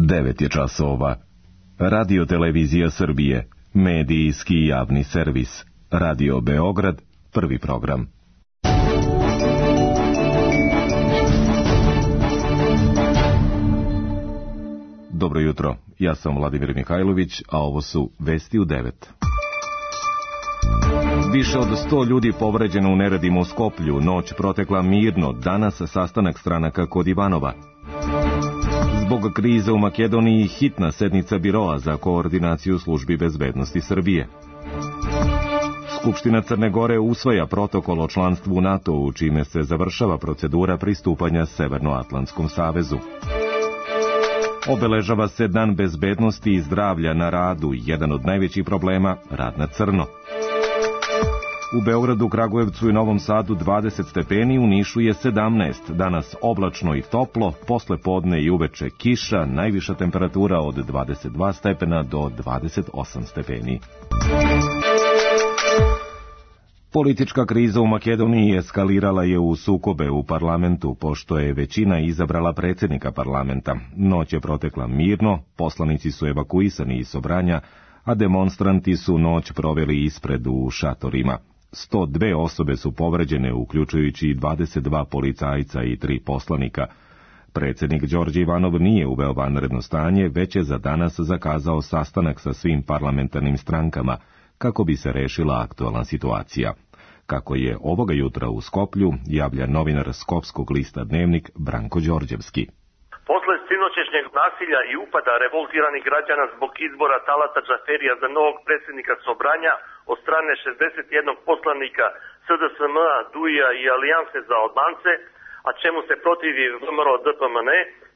9 je časova. Radio Televizija Srbije, medijski javni servis. Radio Beograd, prvi program. Dobro jutro, ja sam Vladimir Mihajlović, a ovo su Vesti u 9. Više od 100 ljudi povređeno u neredima u Skoplju, noć protekla mirno, danas sastanak stranaka kod Ivanova. Zbog krize u Makedoniji hitna sednica Biroa za koordinaciju službi bezbednosti Srbije. Skupština Crne Gore usvaja protokol o članstvu u NATO-u, čime se završava procedura pristupanja Severnoatlantskom savezu. Obeležava se Dan bezbednosti i zdravlja na radu, jedan od najvećih problema, rad na crno. U Beogradu, Kragujevcu i Novom Sadu 20 stepeni, u Nišu je 17, danas oblačno i toplo, posle podne i uveče kiša, najviša temperatura od 22 stepena do 28 stepeni. Politička kriza u Makedoniji eskalirala je u sukobe u parlamentu, pošto je većina izabrala predsjednika parlamenta. Noć je protekla mirno, poslanici su evakuisani iz Sobranja, a demonstranti su noć proveli ispred u šatorima. 102 osobe su povređene, uključujući 22 policajca i 3 poslanika. Predsjednik Đorđe Ivanov nije uveo vanredno stanje, već je za danas zakazao sastanak sa svim parlamentarnim strankama, kako bi se rešila aktualna situacija. Kako je ovoga jutra u Skoplju, javlja novinar Skopskog lista Dnevnik Branko Đorđevski. Posle sinoćešnjeg nasilja i upada revoltiranih građana zbog izbora Talata Džaferija za novog predsjednika Sobranja od strane 61 poslanika SDSM-a, DUI-a i Alijanse za Albance, a čemu se protivi VMRO DPMN,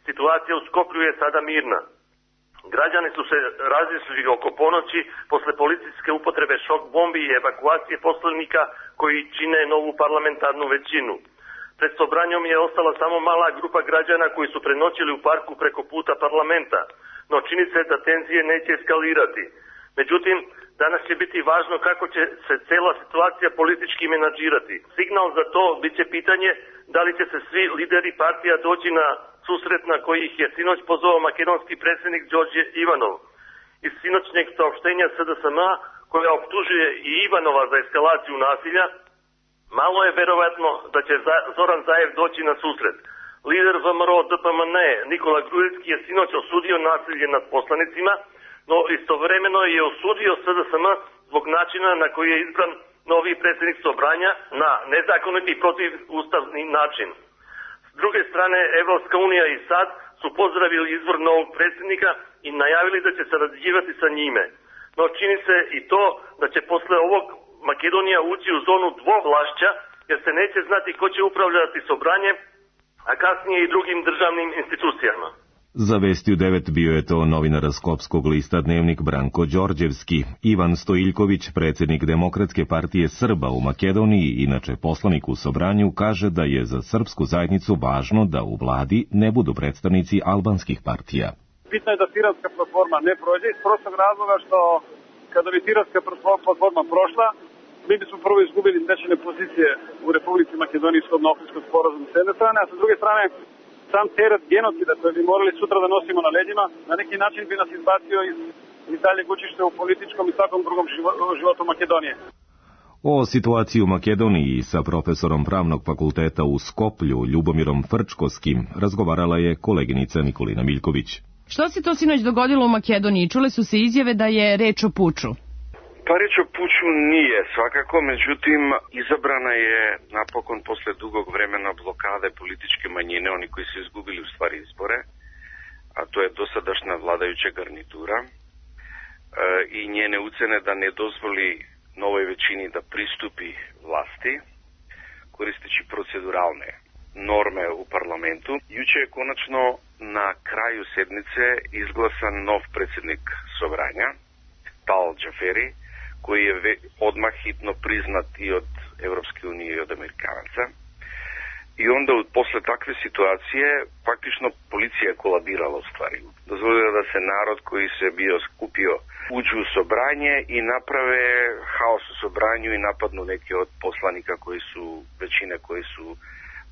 situacija u Skoplju je sada mirna. Građani su se razišli oko ponoći posle policijske upotrebe šok bombi i evakuacije poslanika koji čine novu parlamentarnu većinu. Pred Sobranjom je ostala samo mala grupa građana koji su prenoćili u parku preko puta parlamenta, no čini se da tenzije neće eskalirati. Međutim, danas će biti važno kako će se cela situacija politički menadžirati. Signal za to biće pitanje da li će se svi lideri partija doći na susret na koji ih je sinoć pozvao makedonski predsjednik Đorđe Ivanov. Iz sinoćnjeg saopštenja SDSM-a, koja optužuje i Ivanova za eskalaciju nasilja, malo je verovatno da će Zoran Zaev doći na susret. Lider VMRO DPMN Nikola Gruevski je sinoć osudio nasilje nad poslanicima, no istovremeno je osudio SDSM zbog načina na koji je izbran novi predsjednik Sobranja na nezakoniti i protivustavni način. S druge strane, Evropska unija i SAD su pozdravili izbor novog predsjednika i najavili da će sarađivati sa njime. No čini se i to da će posle ovog Makedonija ući u zonu dvovlašća, jer se neće znati ko će upravljati Sobranjem, a kasnije i drugim državnim institucijama. Za Vesti u 9 bio je to novinar Skopskog lista Dnevnik Branko Đorđevski. Ivan Stojiljković, predsjednik Demokratske partije Srba u Makedoniji, inače poslanik u Sobranju, kaže da je za srpsku zajednicu važno da u vladi ne budu predstavnici albanskih partija. Bitno je da Tiranska platforma ne prođe iz prostog razloga što kada bi Tiranska platforma prošla, mi bismo prvo izgubili stečene pozicije u Republici Makedoniji shodno Ohridskog sporazuma s jedne strane, a sa druge strane sam teret genocida koji bi morali sutra da nosimo na leđima, na neki način bi nas izbacio iz daljeg učišća u političkom i svakom drugom životu Makedonije. O situaciji u Makedoniji sa profesorom Pravnog fakulteta u Skoplju, Ljubomirom Frčkovskim, razgovarala je koleginica Nikolina Miljković. Što se to sinoć dogodilo u Makedoniji? Čule su se izjave da je reč o puču. Pa reč o puču nije svakako, međutim izabrana je napokon posle dugog vremena blokade političke manjine, oni koji su izgubili u stvari izbore, a to je dosadašnja vladajuća garnitura i njene ucene da ne dozvoli novoj većini da pristupi vlasti, koristeći proceduralne norme u parlamentu. Juče je konačno na kraju sednice izglasan nov predsjednik Sobranja, Talat Džaferi, koji je odmah hitno priznat i od Evropske unije i od Amerikanaca. I onda posle takve situacije praktično policija je kolabirala u stvari. Dozvolila da se narod koji se bio skupio uđu u Sobranje i naprave haos u Sobranju i napadnu neke od poslanika koji su, većine koji su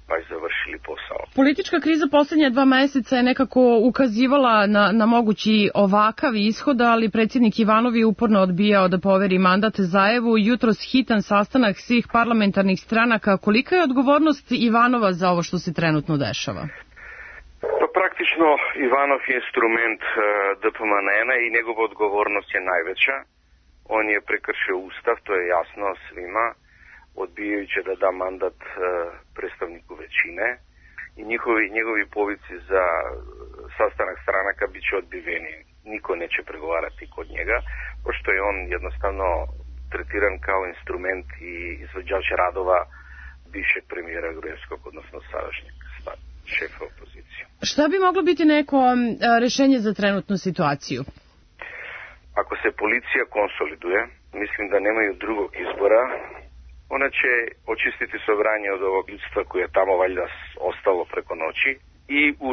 baš završili posao. Politička kriza posljednje 2 meseca je nekako ukazivala na mogući ovakav ishod, ali predsjednik Ivanov je uporno odbijao da poveri mandat Zajevu. Jutros hitan sastanak svih parlamentarnih stranaka. Kolika je odgovornost Ivanova za ovo što se trenutno dešava? Pa praktično Ivanov je instrument DPMNN-a i njegova odgovornost je najveća. On je prekršio ustav, to je jasno svima, odbijajući da da mandat predstavniku većine i njegovi povici za sastanak stranaka bit će odbiveni. Niko neće pregovarati kod njega, pošto je on jednostavno tretiran kao instrument i izvođač radova bivšeg premijera Gruevskog, odnosno sadašnjeg šefa opozicije. Šta bi moglo biti neko rešenje za trenutnu situaciju? Ako se policija konsoliduje, mislim da nemaju drugog izbora, ona će očistiti Sobranje od ovog ljudstva koje je tamo valjda ostalo preko noći i u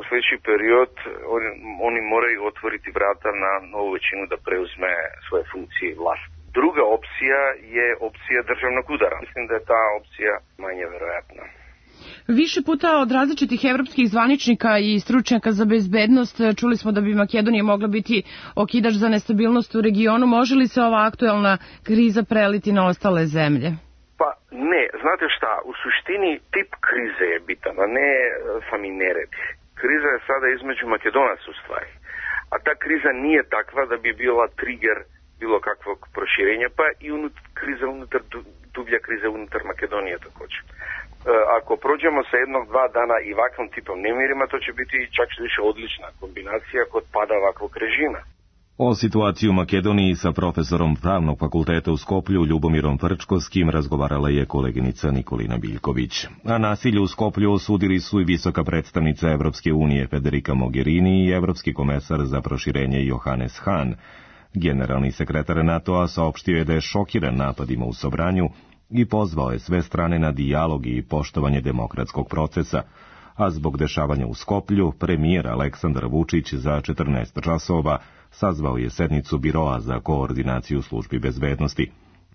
sljedeći period oni moraju otvoriti vrata na novu većinu da preuzme svoje funkcije i vlast. Druga opcija je opcija državnog udara. Mislim da je ta opcija manje verovatna. Više puta od različitih evropskih zvaničnika i stručnjaka za bezbednost čuli smo da bi Makedonija mogla biti okidač za nestabilnost u regionu. Može li se ova aktuelna kriza preliti na ostale zemlje? Pa ne, znate šta, u suštini tip krize je bitan, a ne sami nered. Kriza je sada između Makedonaca u stvari, a ta kriza nije takva da bi bila trigger bilo kakvog proširenja, pa i dublja kriza unutar Makedonije također. Ako prođemo sa 1-2 dana i ovakvom tipom nemirima, to će biti čak više odlična kombinacija kod pada ovakvog režima. O situaciji u Makedoniji sa profesorom Pravnog fakulteta u Skoplju Ljubomirom Frčkovskim razgovarala je koleginica Nikolina Biljković. A nasilje u Skoplju osudili su i visoka predstavnica Evropske unije Federica Mogherini i evropski komesar za proširenje Johannes Hahn. Generalni sekretar NATO-a saopštio je da je šokiran napadima u Sobranju i pozvao je sve strane na dijalog i poštovanje demokratskog procesa, a zbog dešavanja u Skoplju, premijer Aleksandar Vučić za 14 časova sazvao je sednicu Biroa za koordinaciju službi bezbednosti.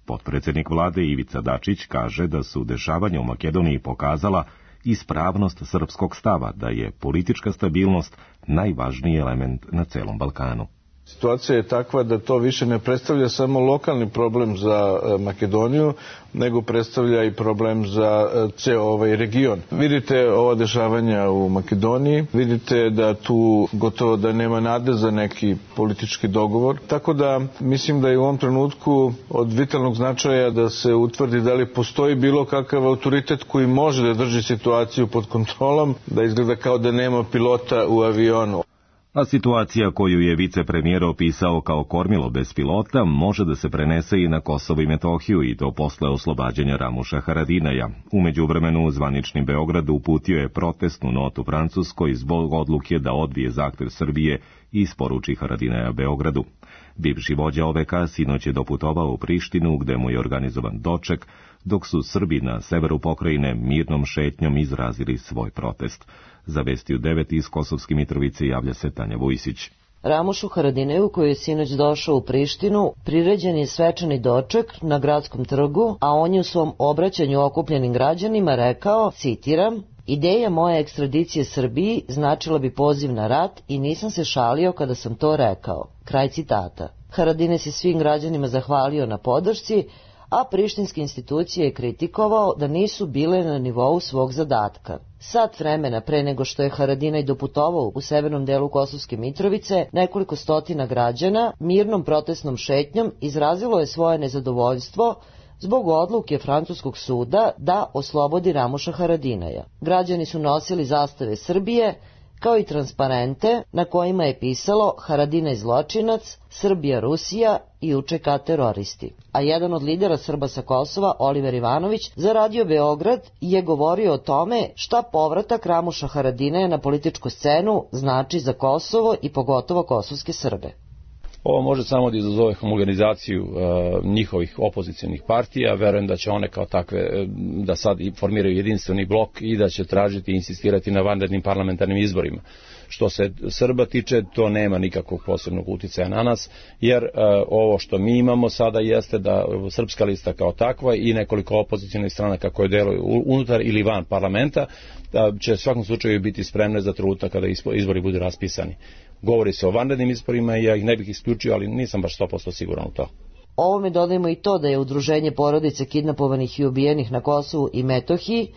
Potpredsjednik vlade Ivica Dačić kaže da su dešavanja u Makedoniji pokazala ispravnost srpskog stava da je politička stabilnost najvažniji element na celom Balkanu. Situacija je takva da to više ne predstavlja samo lokalni problem za Makedoniju, nego predstavlja i problem za ceo ovaj region. Vidite ova dešavanja u Makedoniji, vidite da tu gotovo da nema nade za neki politički dogovor. Tako da mislim da je u ovom trenutku od vitalnog značaja da se utvrdi da li postoji bilo kakav autoritet koji može da drži situaciju pod kontrolom, da izgleda kao da nema pilota u avionu. A situacija koju je vicepremijer opisao kao kormilo bez pilota može da se prenese i na Kosovo i Metohiju i to posle oslobađanja Ramuša Haradinaja. U međuvremenu zvanični Beograd uputio je protestnu notu Francuskoj zbog odluke da odbije zahtev Srbije i isporuči Haradinaja Beogradu. Bivši vođa OVK sinoć je doputovao u Prištinu gde mu je organizovan doček, dok su Srbi na severu pokrajine mirnom šetnjom izrazili svoj protest. Za Vesti u 9 iz Kosovske Mitrovice javlja se Tanja Vujsić. Ramušu Haradineju, koji je sinoć došao u Prištinu, priređen je svečani doček na gradskom trgu, a on je u svom obraćanju okupljenim građanima rekao, citiram, ideja moje ekstradicije Srbiji značila bi poziv na rat i nisam se šalio kada sam to rekao. Kraj citata. Haradinaj se svim građanima zahvalio na podršci, a prištinske institucije je kritikovao da nisu bile na nivou svog zadatka. Sat vremena pre nego što je Haradinaj doputovao u severnom delu Kosovske Mitrovice, nekoliko stotina građana mirnom protestnom šetnjom izrazilo je svoje nezadovoljstvo zbog odluke francuskog suda da oslobodi Ramuša Haradinaja. Građani su nosili zastave Srbije, kao i transparente na kojima je pisalo Haradinaj zločinac, Srbija Rusija i UČK teroristi. A jedan od lidera Srba sa Kosova, Oliver Ivanović, za Radio Beograd je govorio o tome šta povratak Ramuša Haradinaja na političku scenu znači za Kosovo i pogotovo kosovske Srbe. Ovo može samo da izazove homogenizaciju njihovih opozicionih partija. Verujem da će one kao takve da sad formiraju jedinstveni blok i da će tražiti i insistirati na vanrednim parlamentarnim izborima. Što se Srba tiče, to nema nikakvog posebnog uticaja na nas, jer ovo što mi imamo sada jeste da Srpska lista kao takva i nekoliko opozicionih stranaka koje deluju unutar ili van parlamenta će u svakom slučaju biti spremne za trenutak kada izbori budu raspisani. Govori se o vanrednim izborima i ja ih ne bih isključio, ali nisam baš 100% siguran u to. Ovome dodajemo i to da je Udruženje porodice kidnapovanih i ubijenih na Kosovu i Metohiji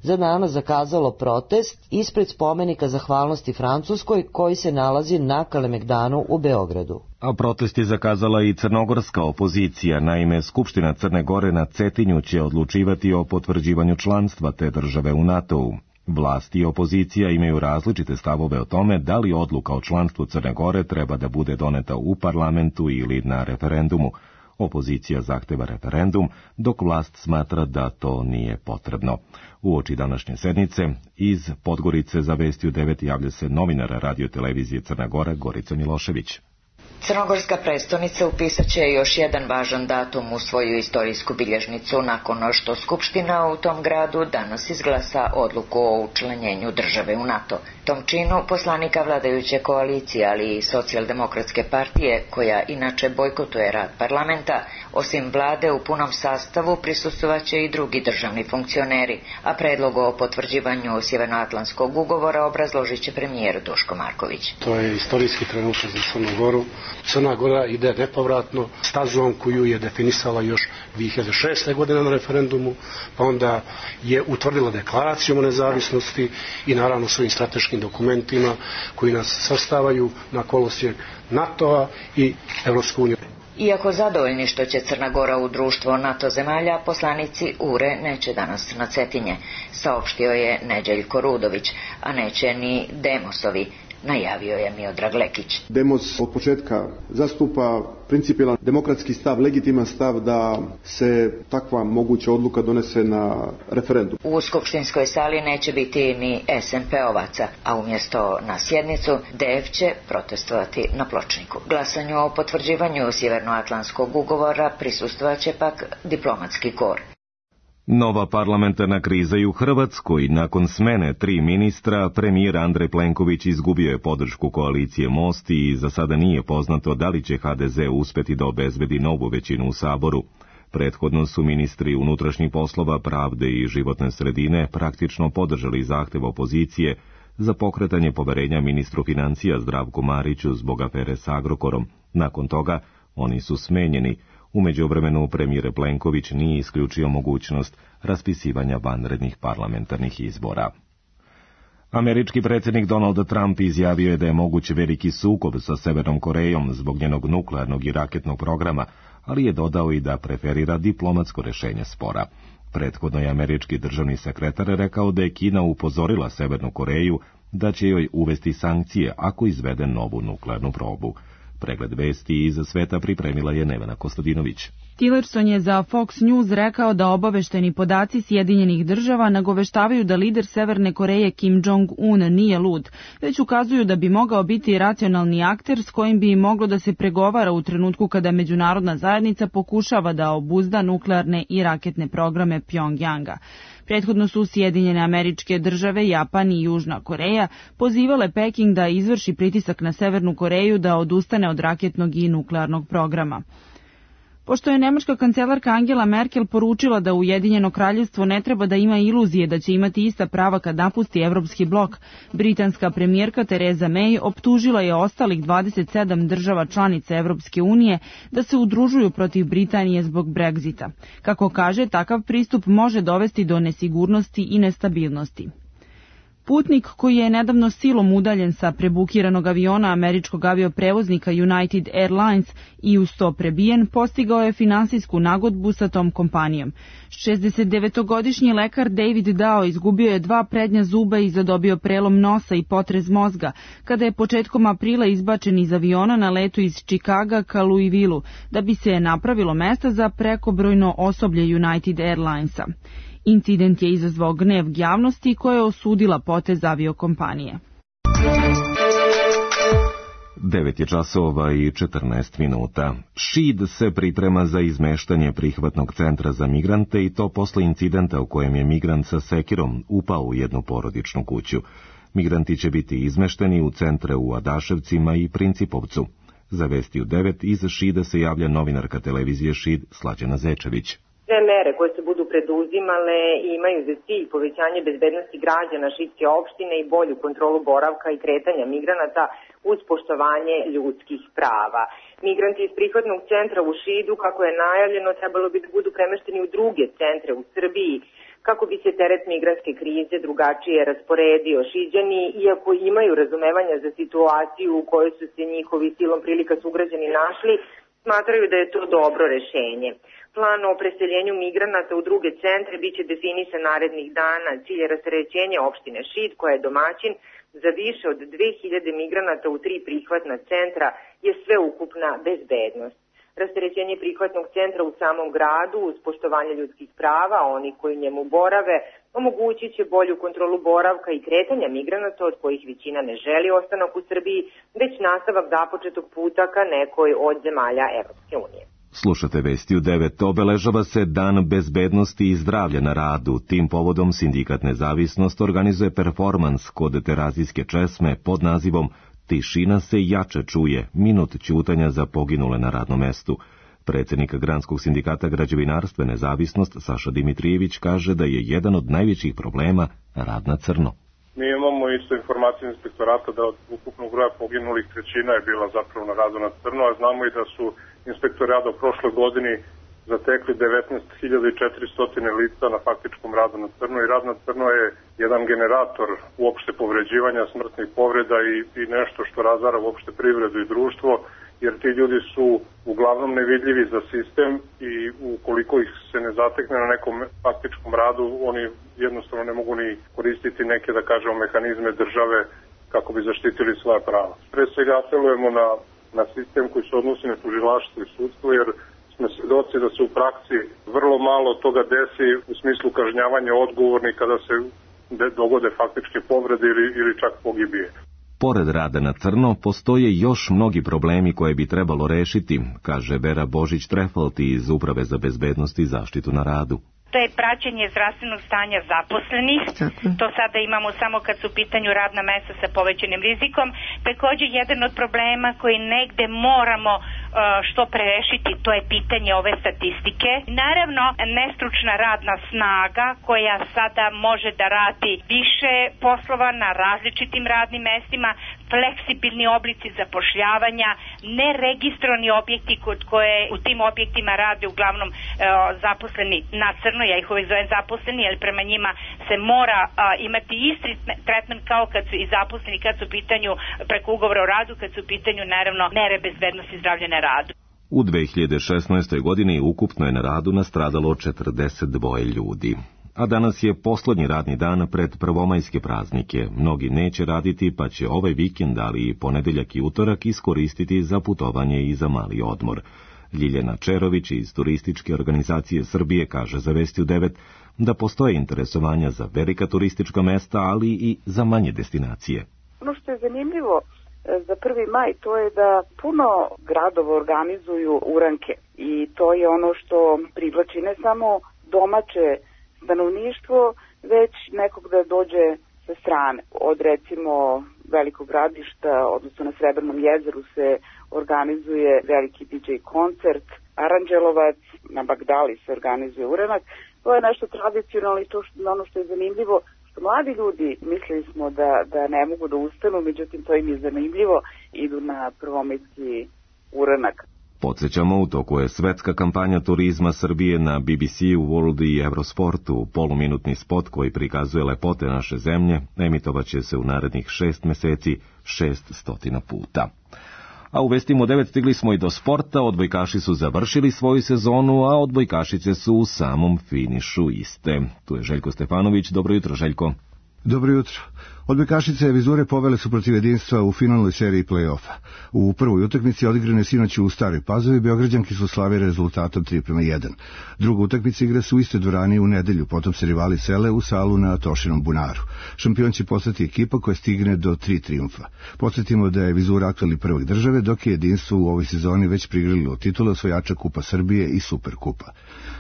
za danas zakazalo protest ispred spomenika zahvalnosti Francuskoj koji se nalazi na Kalemegdanu u Beogradu. A protest je zakazala i crnogorska opozicija. Naime, Skupština Crne Gore na Cetinju će odlučivati o potvrđivanju članstva te države u NATO-u. Vlasti i opozicija imaju različite stavove o tome da li odluka o članstvu Crne Gore treba da bude doneta u parlamentu ili na referendumu. Opozicija zahteva referendum, dok vlast smatra da to nije potrebno. Uoči današnje sednice, iz Podgorice za Vesti u 9 javlja se novinar radio televizije Crna Gora Gorica Milošević. Crnogorska prestonica upisat će još jedan važan datum u svoju istorijsku bilježnicu nakon što Skupština u tom gradu danas izglasa odluku o učlanjenju države u NATO. Tom činu poslanika vladajuće koalicije, ali i Socijaldemokratske partije, koja inače bojkotuje rad parlamenta, osim vlade u punom sastavu prisustvovaće i drugi državni funkcioneri, a predlog o potvrđivanju Sjevernoatlantskog ugovora obrazložit će premijer Duško Marković. To je istorijski trenutak za Crnu Goru. Crna Gora ide nepovratno stazom koju je definisala još 2006. godine na referendumu, pa onda je utvrdila deklaracijom o nezavisnosti i naravno svojim strateškim dokumentima koji nas svrstavaju na kolosijek NATO-a i Evropsku uniju. Iako zadovoljni što će Crna Gora u društvo NATO zemalja, poslanici URE neće danas na Cetinje, saopštio je Neđeljko Rudović, a neće ni Demosovi, najavio je Miodrag Lekić. Demos od početka zastupa principijelan demokratski stav, legitiman stav da se takva moguća odluka donese na referendum. U skupštinskoj sali neće biti ni SNP-ovaca, a umjesto na sjednicu DF će protestovati na pločniku. Glasanju o potvrđivanju Sjevernoatlantskog ugovora prisustvovat će pak diplomatski kor. Nova parlamentarna kriza i u Hrvatskoj. Nakon smene 3 ministra, premijer Andrej Plenković izgubio je podršku koalicije Most i za sada nije poznato da li će HDZ uspeti da obezbedi novu većinu u Saboru. Prethodno su ministri unutrašnjih poslova, pravde i životne sredine praktično podržali zahtev opozicije za pokretanje poverenja ministru financija Zdravku Mariću zbog afere s Agrokorom. Nakon toga oni su smenjeni. U međuvremenu premijer Plenković nije isključio mogućnost raspisivanja vanrednih parlamentarnih izbora. Američki predsjednik Donald Trump izjavio je da je moguć veliki sukob sa Severnom Korejom zbog njenog nuklearnog i raketnog programa, ali je dodao i da preferira diplomatsko rješenje spora. Prethodno je američki državni sekretar rekao da je Kina upozorila Severnu Koreju da će joj uvesti sankcije ako izvede novu nuklearnu probu. Pregled vesti iz sveta pripremila je Nevena Kostadinović. Tillerson je za Fox News rekao da obavešteni podaci Sjedinjenih država nagoveštavaju da lider Severne Koreje Kim Jong-un nije lud, već ukazuju da bi mogao biti racionalni akter s kojim bi moglo da se pregovara u trenutku kada međunarodna zajednica pokušava da obuzda nuklearne i raketne programe Pjongjanga. Prethodno su Sjedinjene Američke Države, Japan i Južna Koreja pozivale Peking da izvrši pritisak na Severnu Koreju da odustane od raketnog i nuklearnog programa. Pošto je nemačka kancelarka Angela Merkel poručila da Ujedinjeno kraljevstvo ne treba da ima iluzije da će imati ista prava kad napusti evropski blok, britanska premijerka Theresa May optužila je ostalih 27 država članica Evropske unije da se udružuju protiv Britanije zbog Brexita. Kako kaže, takav pristup može dovesti do nesigurnosti i nestabilnosti. Putnik koji je nedavno silom udaljen sa prebukiranog aviona američkog avioprevoznika United Airlines i uz to prebijen, postigao je finansijsku nagodbu sa tom kompanijom. 69-godišnji lekar David Dao izgubio je 2 prednja zuba i zadobio prelom nosa i potrez mozga, kada je početkom aprila izbačen iz aviona na letu iz Čikaga ka Louisvilleu, da bi se napravilo mesta za prekobrojno osoblje United Airlinesa. Incident je izazvao gnev javnosti koja je osudila potez aviokompanije. 9 je časova i 14 minuta. Šid se priprema za izmeštanje prihvatnog centra za migrante i to posle incidenta u kojem je migrant sa sekirom upao u jednu porodičnu kuću. Migranti će biti izmešteni u centre u Adaševcima i Principovcu. Za Vesti u 9 iz Šida se javlja novinarka televizije Šid Slađana Zečević. Sve mere koje se budu preduzimale imaju za cilj povećanje bezbednosti građana Šidske opštine i bolju kontrolu boravka i kretanja migranata uz poštovanje ljudskih prava. Migranti iz prihvatnog centra u Šidu, kako je najavljeno, trebalo bi da budu premešteni u druge centre u Srbiji, kako bi se teret migrantske krize drugačije rasporedio. Šiđani, iako imaju razumevanja za situaciju u kojoj su se njihovi silom prilika sugrađani našli, smatraju da je to dobro rešenje. Plan o preseljenju migranata u druge centre biće definisan narednih dana. Cilj je rasterećenja opštine Šid, koja je domaćin za više od 2000 migranata u 3 prihvatna centra, je sveukupna bezbednost. Rasterećenje prihvatnog centra u samom gradu uz poštovanje ljudskih prava, oni koji njemu borave, omogućit će bolju kontrolu boravka i kretanja migranata od kojih većina ne želi ostanak u Srbiji, već nastavak započetog puta ka nekoj od zemalja Evropske unije. Slušate Vesti u 9. Obeležava se Dan bezbednosti i zdravlja na radu. Tim povodom Sindikat Nezavisnost organizuje performans kod Terazijske česme pod nazivom Tišina se jače čuje, minut ćutanja za poginule na radnom mestu. Predsjednik Granskog sindikata građevinarstva Nezavisnost Saša Dimitrijević kaže da je jedan od najvećih problema rad na crno. Mi imamo isto informacije inspektorata da od ukupnog broja poginulih trećina je bila zapravo na radu na crno, a znamo i da su inspektori rada u prošloj godini zatekli 19.400 lica na faktičkom radu na crno i rad na crno je jedan generator uopšte povređivanja, smrtnih povreda i nešto što razara uopšte privredu i društvo, jer ti ljudi su uglavnom nevidljivi za sistem i ukoliko ih se ne zatekne na nekom faktičkom radu, oni jednostavno ne mogu ni koristiti neke, da kažemo, mehanizme države kako bi zaštitili svoja prava. Pre svega apelujemo na sistem koji se odnosi na tužilaštvo i sudstvo, jer smo svedoci da se u praksi vrlo malo toga desi u smislu kažnjavanja odgovornih kada se dogode faktičke povrede ili čak pogibije. Pored rada na crno, postoje još mnogi problemi koje bi trebalo rešiti, kaže Vera Božić-Trefalt iz Uprave za bezbednost i zaštitu na radu. To je praćenje zdravstvenog stanja zaposlenih. To sada imamo samo kad su u pitanju radna mesta sa povećanim rizikom. Takođe, jedan od problema koji negde moramo što prerešiti, to je pitanje ove statistike. Naravno, nestručna radna snaga koja sada može da radi više poslova na različitim radnim mestima, fleksibilni oblici zapošljavanja, neregistrovani objekti kod koje u tim objektima rade uglavnom zaposleni na crno, ja ih uvek zovem zaposleni, jer prema njima se mora imati isti tretman kao kad su i zaposleni, kad su u pitanju preko ugovora o radu, kad su u pitanju naravno mere bezbednosti zdravlja na radu. U 2016. godini ukupno je na radu nastradalo 42 ljudi. A danas je poslednji radni dan pred prvomajske praznike. Mnogi neće raditi, pa će ovaj vikend, ali i ponedeljak i utorak iskoristiti za putovanje i za mali odmor. Ljiljana Čerović iz Turističke organizacije Srbije kaže za Vesti u 9 da postoje interesovanja za velika turistička mesta, ali i za manje destinacije. Ono što je zanimljivo za 1. maj to je da puno gradova organizuju uranke i to je ono što privlači ne samo domaće stanovništvo, već nekog da dođe sa strane. Od recimo Velikog Gradišta, odnosno na Srebrnom jezeru se organizuje veliki DJ koncert, Aranđelovac, na Bagdali se organizuje uranak. To je nešto tradicionalno i to ono što je zanimljivo, što mladi ljudi mislili smo da ne mogu da ustanu, međutim to im je zanimljivo, idu na prvomajski uranak. Podsjećamo, u toku je svetska kampanja turizma Srbije na BBC-u, World i Eurosportu. Poluminutni spot koji prikazuje lepote naše zemlje emitovaće se u narednih 6 meseci 600 puta. A u Vestima 9 stigli smo i do sporta, odbojkaši su završili svoju sezonu, a odbojkašice su u samom finišu iste. Tu je Željko Stefanović, dobro jutro Željko. Dobro jutro. Odbojkašice Vizure povele su protiv Jedinstva u finalnoj seriji play-offa. U prvoj utakmici odigrane sinoć u Staroj Pazovi, Beograđanke su slavile rezultatom 3:1. Druga utakmica igra se u istoj dvorani u nedelju, potom se rivali sele u salu na Tošinom bunaru. Šampion će postati ekipa koja stigne do 3 trijumfa. Podsjetimo da je Vizura aktuelni prvak države, dok je Jedinstvo u ovoj sezoni već prigrlilo titule osvajača Kupa Srbije i Superkupa.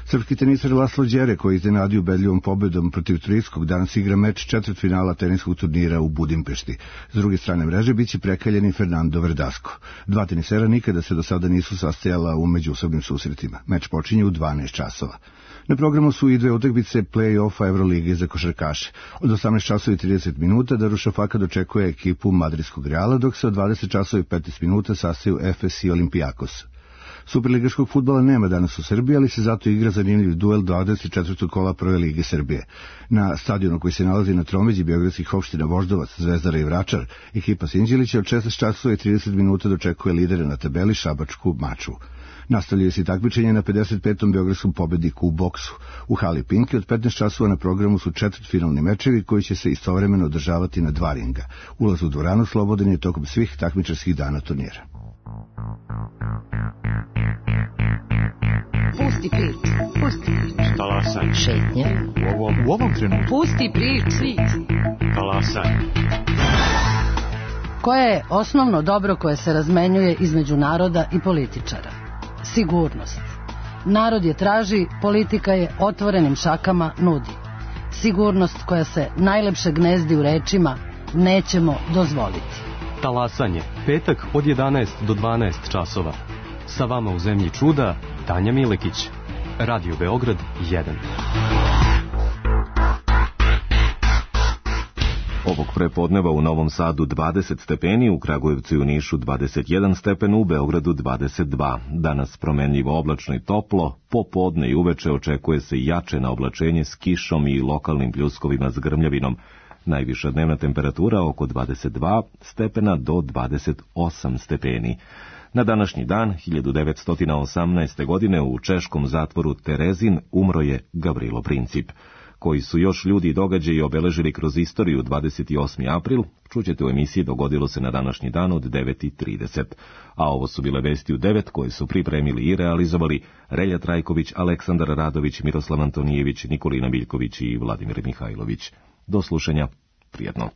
Srpski tenisar Laslo Đere, koji je iznenadio ubedljivom pobedom protiv Turskog, danas igra meč četvrtfinala teniskog turnira u Budimpešti. S druge strane mreže biće prekaljeni Fernando Verdasco. Dva tenisera nikada se do sada nisu sastajala u međusobnim susretima. Meč počinje u 12 časova. Na programu su i dve utakmice play-offa Evrolige za košarkaše. Od 18:30 Darušafaka dočekuje ekipu madridskog Reala, dok se od 20:15 sastaju Efes i Olimpijakos. Superligaškog fudbala nema danas u Srbiji, ali se zato igra zanimljiv duel 24. kola Prve lige Srbije. Na stadionu koji se nalazi na tromeđi beogradskih opština Voždovac, Zvezdara i Vračar, ekipa Sinđelića od 16:30 dočekuje lidere na tabeli Šabačku Mačvu. Nastavljaju se takmičenje na 55. beogradskom pobedniku u boksu. U hali Pinke od 15 časova na programu su četvrtfinalni mečevi koji će se istovremeno održavati na 2 ringa. Ulaz u dvoranu slobodan je tokom svih takmičarskih dana turnira. Pusti prič. Talasaj. Šetnja. U ovom trenutku. Pusti prič. Talasaj. Koje je osnovno dobro koje se razmenjuje između naroda i političara? Sigurnost. Narod je traži, politika je otvorenim šakama nudi. Sigurnost koja se najlepše gnezdi u rečima nećemo dozvoliti. Talasanje, petak od 11 do 12 časova. Sa vama u zemlji čuda, Tanja Milekić. Radio Beograd 1. Ovog prepodneva u Novom Sadu 20 stepeni, u Kragujevcu i u Nišu 21 stepen, u Beogradu 22. Danas promenljivo oblačno i toplo, popodne i uveče očekuje se jače na oblačenje s kišom i lokalnim pljuskovima s grmljavinom. Najviša dnevna temperatura oko 22 stepena do 28 stepeni. Na današnji dan, 1918. godine, u češkom zatvoru Terezin umro je Gavrilo Princip. Koji su još ljudi i događaji obeležili kroz istoriju 28. april, čućete u emisiji Dogodilo se na današnji dan od 9:30. A ovo su bile vesti u 9 koje su pripremili i realizovali Relja Trajković, Aleksandar Radović, Miroslav Antonijević, Nikolina Miljković i Vladimir Mihajlović. Do slušanja, prijetno.